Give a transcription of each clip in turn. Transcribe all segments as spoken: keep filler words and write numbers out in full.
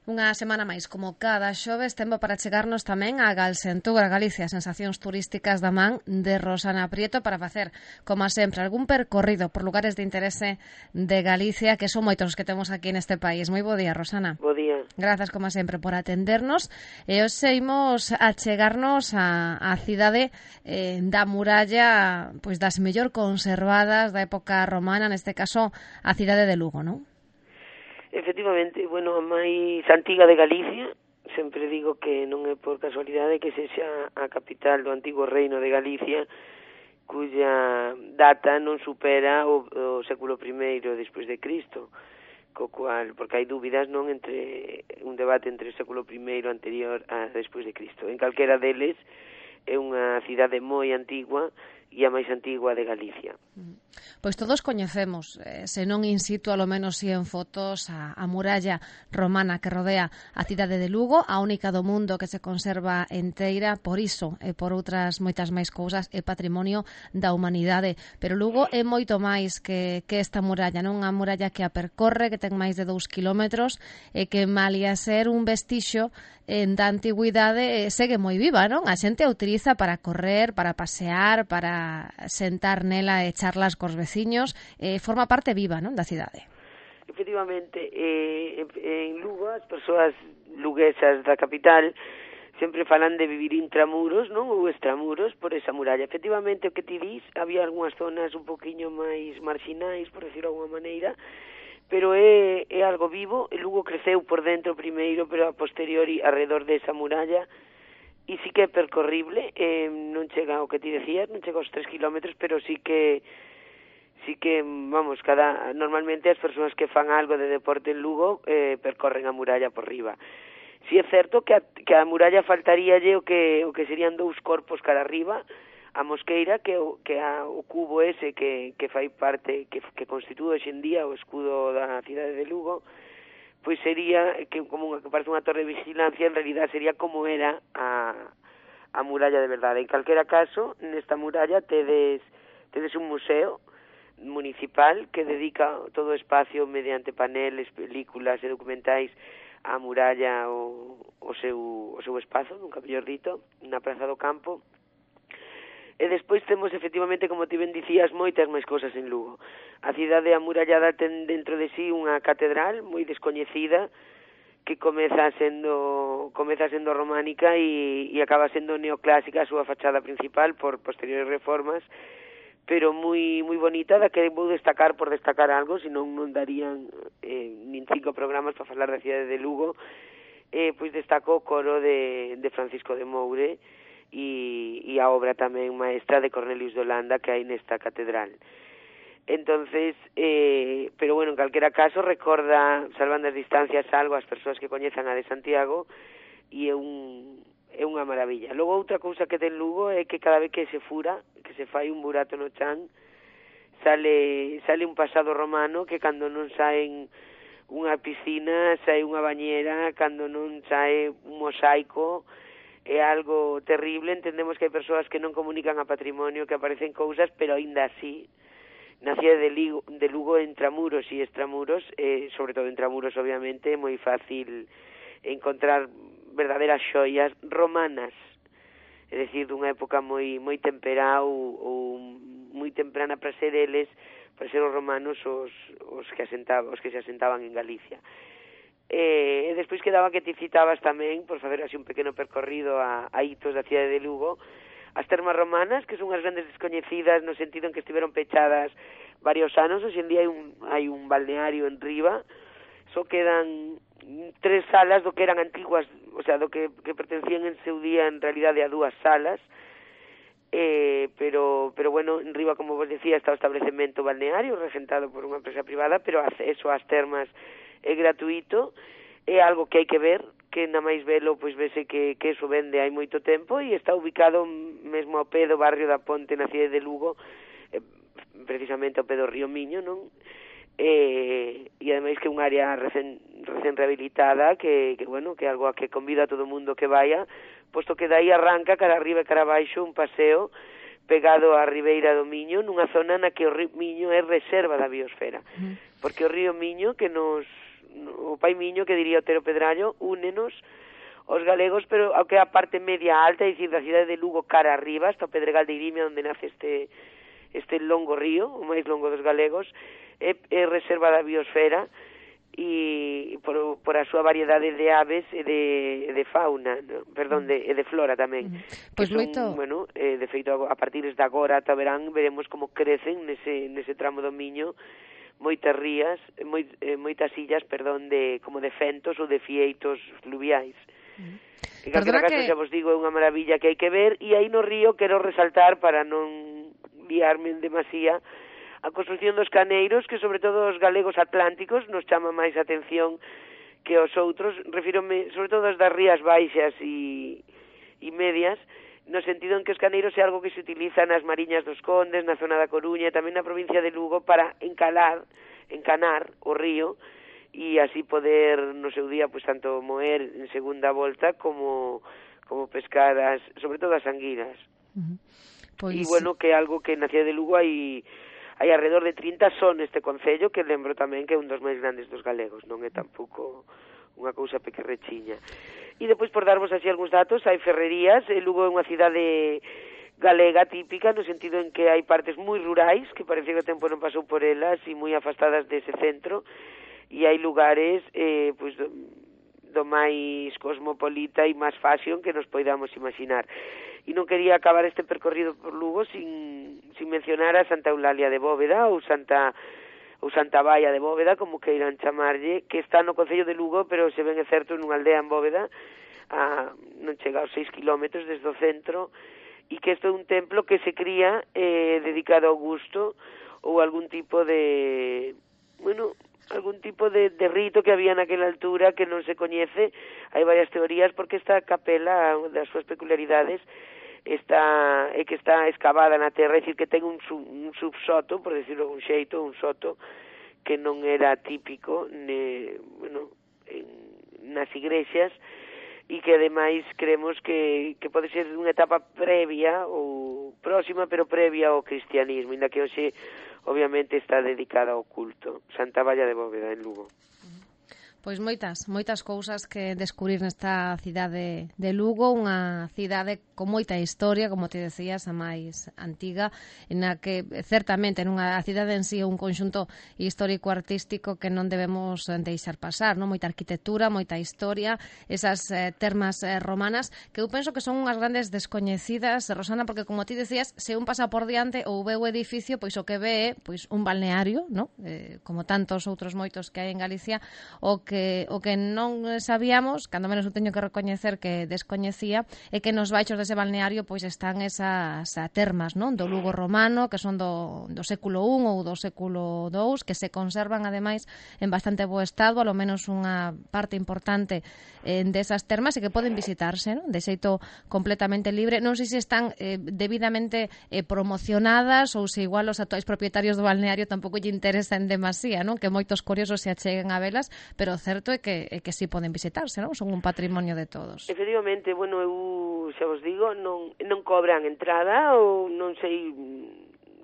Unha semana máis, como cada xoves, tempo para chegarnos tamén a Galsentura, Galicia, sensacións turísticas da man de Rosana Prieto para facer, como sempre, algún percorrido por lugares de interese de Galicia, que son moitos os que temos aquí neste país. Moi bo día, Rosana. Bo día. Grazas, como sempre, por atendernos. E hoxe imos a chegarnos a, a cidade eh, da muralla, pois das mellor conservadas da época romana, neste caso, a cidade de Lugo, non? Efectivamente, bueno, a máis antiga de Galicia, sempre digo que non é por casualidade que sexa a capital do antigo reino de Galicia, cuya data non supera o, o século primeiro despois de Cristo, co cual, porque hai dúbidas non entre un debate entre o século primeiro anterior a despois de Cristo. En calquera deles é unha cidade moi antigua e a máis antigua de Galicia. Pois todos coñecemos, eh, se non in situ, alo menos si en fotos, a, a muralla romana que rodea a cidade de Lugo, a única do mundo que se conserva enteira, por iso e por outras moitas máis cousas, é patrimonio da humanidade. Pero Lugo é moito máis que, que esta muralla, non? Unha muralla que a percorre, que ten máis de dous kilómetros, e que malia ser un vestixo en da antigüidade, eh, segue moi viva, non? A xente a utiliza para correr, para pasear, para sentar nela e charlas cos veciños, eh, forma parte viva, non, da cidade. Efectivamente, eh, en Lugo as persoas luguesas da capital sempre falan de vivir intramuros, non, ou extramuros por esa muralla. Efectivamente, o que ti dis, había algunhas zonas un poquinho máis marxinais, por decirlo de alguma maneira, pero é, é algo vivo. E Lugo creceu por dentro primeiro, pero a posteriori alrededor desa muralla, e sí que é percorrible, eh, non chega ao que ti decías, non chega aos tres kilómetros, pero sí que sí que, vamos, cada normalmente as persoas que fan algo de deporte en Lugo eh, percorren a muralla por riba. Si é certo que a, que a muralla faltaríalle o que o que serían dous corpos cara arriba, a mosqueira, que o, que a, o cubo ese que, que fai parte, que, que constitúe hoxe en día o escudo da cidade de Lugo, pois sería, que como unha, que parece unha torre de vigilancia, en realidad sería como era a, a muralla de verdade. En calquera caso, nesta muralla tedes, tedes un museo municipal que dedica todo o espacio mediante paneles, películas e documentais á muralla o, o, seu, o seu espazo, nunca mellor dito, na Praza do Campo. E despois temos, efectivamente, como ti ben dicías, moitas máis cousas en Lugo. A cidade amurallada ten dentro de sí unha catedral moi descoñecida que comeza sendo comeza sendo románica e, e acaba sendo neoclásica a súa fachada principal por posteriores reformas, pero moi moi bonita, da que vou destacar por destacar algo, senón non darían eh, nin cinco programas para falar da cidade de Lugo. Eh, pois destaco o coro de, de Francisco de Moure, e, e a obra tamén maestra de Cornelius de Holanda que hai nesta catedral. Entonces, eh, pero bueno, en calquera caso recorda, salvando as distancias, algo as persoas que coñezan a de Santiago, e é un é unha maravilla. Logo, outra cousa que ten Lugo é que cada vez que se fura, que se fai un burato no chan, sale sale un pasado romano que cando non saen unha piscina, sae unha bañera, cando non sae un mosaico, é algo terrible. Entendemos que hai persoas que non comunican a patrimonio, que aparecen cousas, pero aínda así, na cidade de, Ligo, de Lugo, intramuros e extramuros, eh, sobre todo intramuros, obviamente, é moi fácil encontrar verdadeiras xoias romanas, é dicir, dunha época moi moi temperá ou, ou moi temprana para ser eles, para ser os romanos os, os que asentaban, os que se asentaban en Galicia. E, e despois quedaba que ti citabas tamén, por facer así un pequeno percorrido a, a hitos da cidade de Lugo, as termas romanas, que son as grandes descoñecidas no sentido en que estiveron pechadas varios anos. Hoxe en día hai un, hai un balneario en riba, só quedan tres salas do que eran antiguas, o sea, do que, que pertencían en seu día en realidade a dúas salas, eh, pero, pero bueno, en riba, como vos decía, está o establecemento balneario regentado por unha empresa privada, pero acceso ás termas é gratuito. É algo que hai que ver, que na máis velo, pois vese que, que eso vende hai moito tempo, e está ubicado mesmo ao pé do barrio da Ponte na cidade de Lugo, eh, precisamente ao pé do río Miño, non? E, e ademais que é unha área recén, recén rehabilitada, que, que bueno, que é algo a que convida a todo o mundo que vaya, posto que dai arranca cara arriba e cara abaixo un paseo pegado á ribeira do Miño, nunha zona na que o río Miño é reserva da biosfera, porque o río Miño, que nos o pai miño, que diría Otero Pedrallo, únenos os galegos, pero ao que é a parte media alta, é dicir, da cidade de Lugo cara arriba, hasta o Pedregal de Irimia, onde nace este este longo río, o máis longo dos galegos, é, é reserva da biosfera, e por, por a súa variedade de aves e de, de fauna, no? Perdón, de, e de flora tamén. Mm. Pois son, moito... bueno, eh, de feito, a partir de agora ata verán, veremos como crecen nese, nese tramo do Miño moitas rías, moi, eh, moitas illas, perdón, de como de fentos ou de fieitos fluviais. Mm. En calquera caso, que... xa vos digo, é unha maravilla que hai que ver, e aí no río quero resaltar, para non liarme en demasía, a construción dos caneiros, que sobre todo os galegos atlánticos nos chama máis atención que os outros, refírome sobre todo as das rías baixas e, e medias, no sentido en que os caneiros é algo que se utiliza nas Mariñas dos Condes, na zona da Coruña e tamén na provincia de Lugo para encalar, encanar o río e así poder no seu día pois tanto moer en segunda volta como como pescar as, sobre todo as anguilas. Uh-huh. Pois... E bueno, que é algo que na cidade de Lugo hai hai alrededor de trinta son neste concello, que lembro tamén que é un dos máis grandes dos galegos, non é tampouco unha cousa pequerrechiña. E depois, por darvos así algúns datos, hai ferrerías, e Lugo é unha cidade galega típica, no sentido en que hai partes moi rurais, que parece que o tempo non pasou por elas, e moi afastadas dese centro, e hai lugares eh, pois, do, do máis cosmopolita e máis fashion que nos poidamos imaginar. E non quería acabar este percorrido por Lugo sin, sin mencionar a Santa Eulalia de Bóveda ou Santa ou Santa Baia de Bóveda, como queiran chamarlle, que está no concello de Lugo, pero se ben é certo nunha aldea en Bóveda, a, non chega aos seis kilómetros desde o centro, e que isto é un templo que se cría eh, dedicado ao gusto ou algún tipo de... bueno... algún tipo de, de rito que había naquela altura que non se coñece. Hai varias teorías, porque esta capela, das súas peculiaridades, está é que está excavada na terra, é dicir, que ten un, sub, un subsoto, por decirlo un xeito, un soto, que non era típico ne, bueno, en, nas igrexas, e que ademais creemos que, que pode ser unha etapa previa ou próxima, pero previa ao cristianismo, inda que hoxe obviamente está dedicada ao culto. Santa Baia de Bóveda, en Lugo. Pois moitas, moitas cousas que descubrir nesta cidade de Lugo, unha cidade con moita historia, como te decías, a máis antiga, na que certamente nunha cidade en sí un conxunto histórico-artístico que non debemos deixar pasar, non? Moita arquitectura, moita historia, esas eh, termas eh, romanas, que eu penso que son unhas grandes descoñecidas, Rosana, porque como ti decías, se un pasa por diante ou ve o edificio, pois o que ve é pois, un balneario, non? Eh, como tantos outros moitos que hai en Galicia, o que o que non sabíamos, cando menos eu teño que recoñecer que descoñecía, é que nos baixos dese balneario pois están esas termas, non, do Lugo romano, que son do, do século un ou do século dous, que se conservan ademais en bastante bo estado, alo menos unha parte importante eh, desas termas, e que poden visitarse, non, de xeito completamente libre. Non sei se están eh, debidamente eh, promocionadas ou se igual os actuais propietarios do balneario tampouco lle interesan demasía, non, que moitos curiosos se acheguen a velas, pero o certo é que, é que sí poden visitarse, non? Son un patrimonio de todos. Efectivamente, bueno, eu xa vos digo, non, non cobran entrada, ou non sei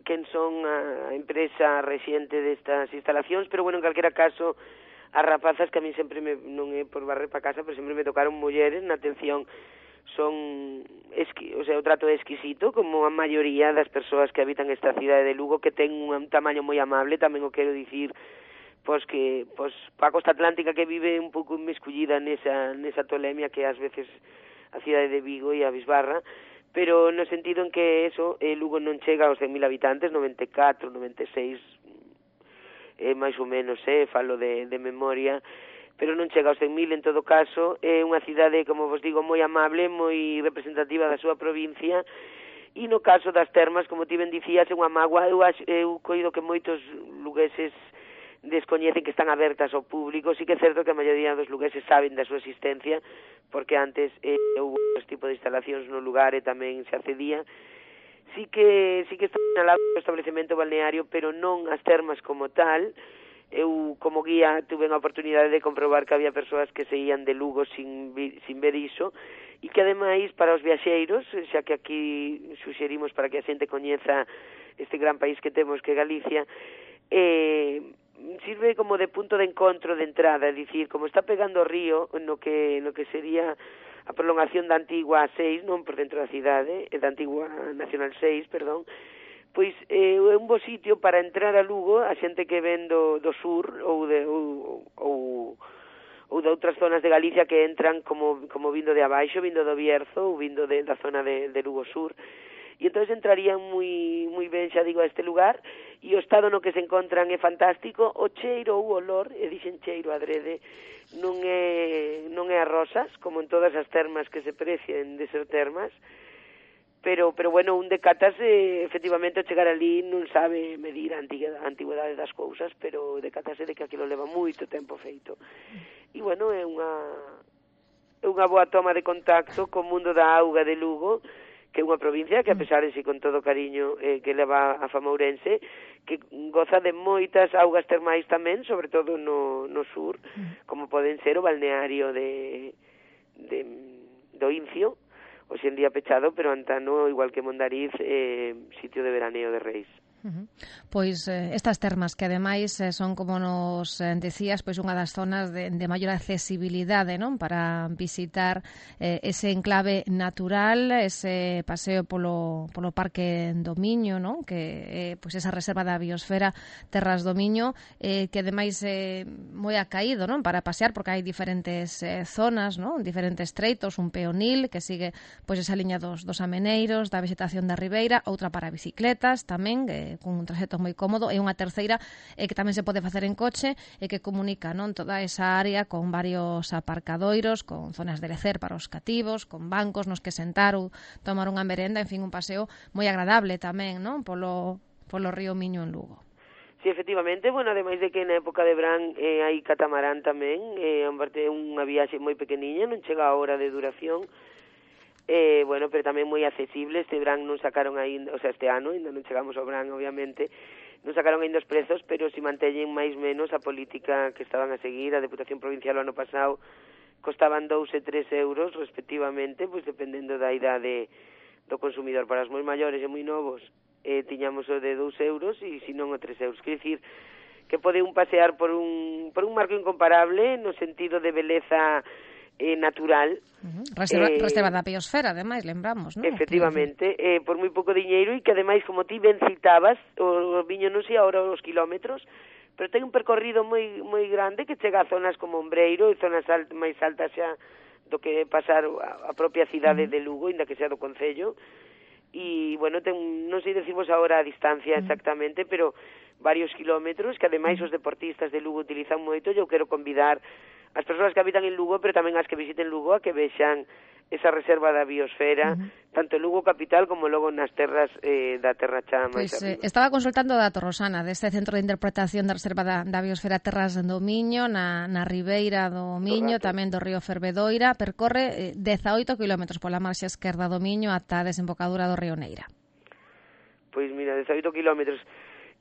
quen son a empresa rexente destas instalacións, pero bueno, en calquera caso, as rapazas, que a mí sempre me, non é por barrer para casa, pero sempre me tocaron mulleres, na atención, son, esqui, o sea, o trato é exquisito, como a maioría das persoas que habitan esta cidade de Lugo, que ten un tamaño moi amable, tamén o quero dicir, pois que pois a costa atlántica, que vive un pouco inmiscullida nesa nesa tolemia que ás veces a cidade de Vigo e a Bisbarra, pero no sentido en que eso, eh, Lugo non chega aos cen mil habitantes, noventa e catro, noventa e seis, eh, máis ou menos, eh, falo de, de memoria, pero non chega aos cen mil. En todo caso, é unha cidade, como vos digo, moi amable, moi representativa da súa provincia, e no caso das termas, como ti ben dicías, é unha mágoa. Eu, eu coido que moitos lugueses descoñecen que están abertas ao público. Sí que é certo que a maioría dos lugueses saben da súa existencia, porque antes eh, houve este tipo de instalacións no lugar e tamén se accedía. Sí que sí que está sinalado o establecemento balneario, pero non as termas como tal. Eu, como guía, tuve a oportunidade de comprobar que había persoas que se ían de Lugo sin, sin ver iso, e que, ademais, para os viaxeiros, xa que aquí suxerimos para que a xente coñeza este gran país que temos, que é Galicia, eh, sirve como de punto de encontro de entrada, é dicir, como está pegando o río no que no que sería a prolongación da antigua seis, non por dentro da cidade, da antigua Nacional seis, perdón, pois eh, é un bo sitio para entrar a Lugo a xente que ven do, do sur ou de ou, ou ou de outras zonas de Galicia que entran como como vindo de abaixo, vindo do Bierzo ou vindo de, da zona de, de Lugo Sur. E entón entrarían moi moi ben, xa digo, a este lugar, e o estado no que se encontran é fantástico, o cheiro ou o olor, e dixen cheiro adrede, non é non é a rosas, como en todas as termas que se precien de ser termas, pero pero bueno, un decátase, efectivamente, ao chegar ali non sabe medir a antigüedade das cousas, pero decátase de que aquilo leva moito tempo feito. E bueno, é unha é unha boa toma de contacto co mundo da auga de Lugo, que é unha provincia que, a pesar de si con todo cariño eh, que leva a fama ourense, que goza de moitas augas termais tamén, sobre todo no, no sur, como poden ser o balneario de, de do Incio, hoxe en día pechado, pero antano, igual que Mondariz, eh, sitio de veraneo de Reis. Uh-huh. Pois eh, estas termas que ademais eh, son, como nos eh, decías, pois unha das zonas de, de maior accesibilidade, non, para visitar eh, ese enclave natural, ese paseo polo, polo Parque do Miño, non, que eh, pois esa reserva da biosfera Terras do Miño, eh, que ademais é eh, moi acaído, non, para pasear, porque hai diferentes eh, zonas, non, diferentes treitos, un peonil que sigue pois esa liña dos, dos ameneiros, da vegetación da ribeira, outra para bicicletas tamén, eh, con un traxecto moi cómodo, e unha terceira eh, que tamén se pode facer en coche e que comunica, non, toda esa área con varios aparcadoiros, con zonas de lecer para os cativos, con bancos nos que sentar ou tomar unha merenda, en fin, un paseo moi agradable tamén, non, polo, polo río Miño en Lugo. Sí, efectivamente, bueno, ademais de que na época de verán eh, hai catamarán tamén, eh, é unha viaxe moi pequeniña, non chega a hora de duración. Eh, bueno, pero tamén moi accesible. Este verán non sacaron aínda, o sea, este ano, ainda non chegamos ao verán, obviamente, non sacaron aínda os prezos, pero si manteñen máis menos a política que estaban a seguir. A Deputación Provincial o ano pasado costaban dous e tres euros, respectivamente, pois dependendo da idade do consumidor. Para os moi maiores e moi novos, eh, tiñamos o de dous euros e, se non, o tres euros. Quer dicir que pode un pasear por un, por un marco incomparable no sentido de beleza Eh, natural. Uh-huh. Reserva, eh, reserva da biosfera, ademais, lembramos, non? Efectivamente, eh, por moi pouco diñeiro, e que ademais, como ti ben citabas, o, o viño non sei agora os kilómetros, pero ten un percorrido moi moi grande que chega a zonas como Ombreiro e zonas alt, máis altas xa do que pasar a, a propia cidade uh-huh. de Lugo, inda que sea do concello. E, bueno, ten, non sei decirvos agora a distancia exactamente, uh-huh. pero varios kilómetros, que ademais os deportistas de Lugo utilizan moito. Eu quero convidar as persoas que habitan en Lugo, pero tamén as que visiten Lugo, a que vexan esa reserva da biosfera, uh-huh. tanto en Lugo capital como logo nas terras eh, da Terra Chá máis pues, arriba. Eh, estaba consultando o dato, Rosana, deste Centro de Interpretación da Reserva da, da Biosfera Terras do Miño, na, na ribeira do Miño, Correcto. Tamén do río Fervedoira, percorre eh, dezaoito kilómetros pola marxa esquerda do Miño ata a desembocadura do río Neira. Pois mira, dezaoito kilómetros.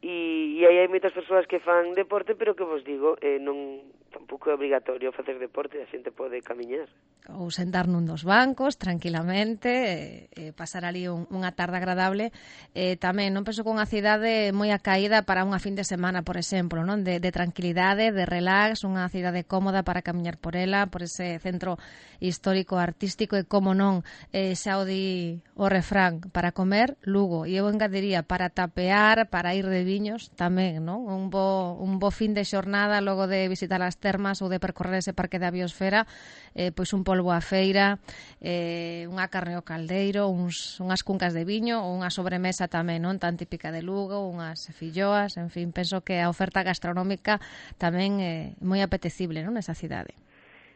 E, e aí hai moitas persoas que fan deporte, pero que vos digo, eh, non tampouco é obrigatorio facer deporte, a xente pode camiñar. Ou sentar nun dos bancos, tranquilamente, eh, pasar ali un, unha tarde agradable. Eh, tamén, non penso que unha cidade moi acaída para unha fin de semana, por exemplo, non, de, de tranquilidade, de relax, unha cidade cómoda para camiñar por ela, por ese centro histórico, artístico, e, como non, eh, xa o di o refrán, para comer, Lugo. E eu engadiría, para tapear, para ir de viños, tamén, non? Un bo, un bo fin de xornada logo de visitar as termas ou de percorrer ese parque da biosfera, eh, pois un polvo á feira, eh, unha carne ao caldeiro, uns, unhas cuncas de viño ou unha sobremesa tamén, non, tan típica de Lugo, unhas filloas, en fin, penso que a oferta gastronómica tamén é moi apetecible, non, nesa cidade.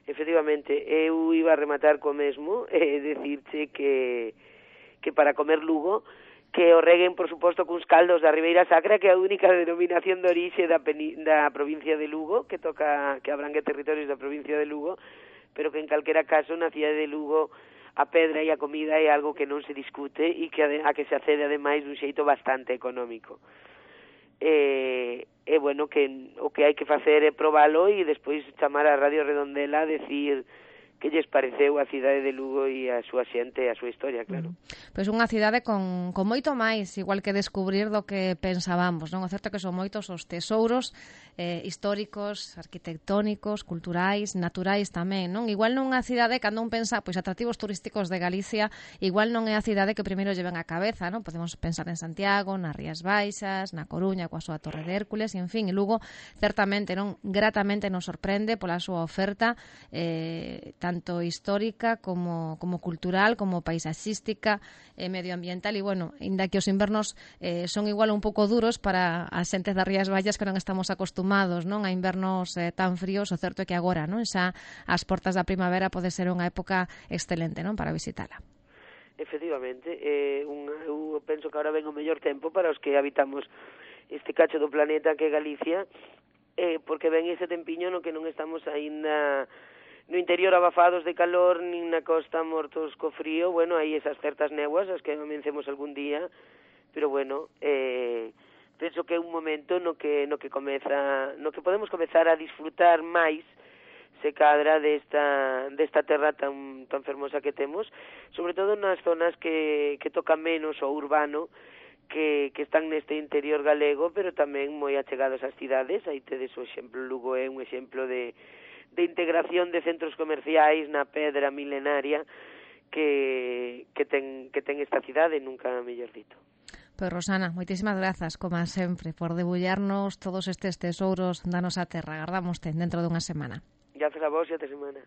Efectivamente, eu iba a rematar co mesmo, e eh, decirche que que para comer Lugo, que o reguen, por suposto, cuns caldos da Ribeira Sacra, que é a única denominación de orixe da, da provincia de Lugo, que toca que abrangue territorios da provincia de Lugo, pero que en calquera caso na cidade de Lugo a pedra e a comida é algo que non se discute e que a que se accede ademais dun xeito bastante económico. E, e bueno, que o que hai que facer é probalo e despois chamar a Radio Redondela a decir que lles pareceu a cidade de Lugo e a súa xente e a súa historia, claro. Pois unha cidade con, con moito máis, igual que descubrir do que pensábamos, non? O certo que son moitos os tesouros eh, históricos, arquitectónicos, culturais, naturais tamén, non? Igual non é a cidade, cando un pensa, pois atractivos turísticos de Galicia, igual non é a cidade que primeiro lle ven á cabeza, non? Podemos pensar en Santiago, nas Rías Baixas, na Coruña, coa súa Torre de Hércules, en fin, e Lugo certamente non gratamente nos sorprende pola súa oferta eh, tanto histórica como, como cultural, como paisaxística e eh, medioambiental e, bueno, inda que os invernos eh, son igual un pouco duros para as xentes das Rías Baixas que non estamos acostumados, non, a invernos eh, tan fríos, o certo é que agora, non, xa as portas da primavera pode ser unha época excelente, non, para visitala. Efectivamente, eh, un, eu penso que agora ven o mellor tempo para os que habitamos este cacho do planeta que é Galicia, eh, porque ven ese tempiño no que non estamos aínda no interior abafados de calor, nin na costa mortos co frío. Bueno, hai esas certas néboas, as que amencemos algún día, pero bueno, eh, penso que é un momento no que no que comeza, no que podemos comezar a disfrutar máis se cadra desta desta terra tan tan fermosa que temos, sobre todo nas zonas que que tocan menos o urbano, que, que están neste interior galego, pero tamén moi achegados ás cidades. Aí tedes o exemplo, Lugo é un exemplo de de integración de centros comerciais na pedra milenaria que, que, ten, que ten esta cidade, nunca mellor dito. Pois, Rosana, moitísimas grazas, como sempre, por debullarnos todos estes tesouros da nosa terra. Agardámoste dentro dunha semana. Grazas a vos e até semana.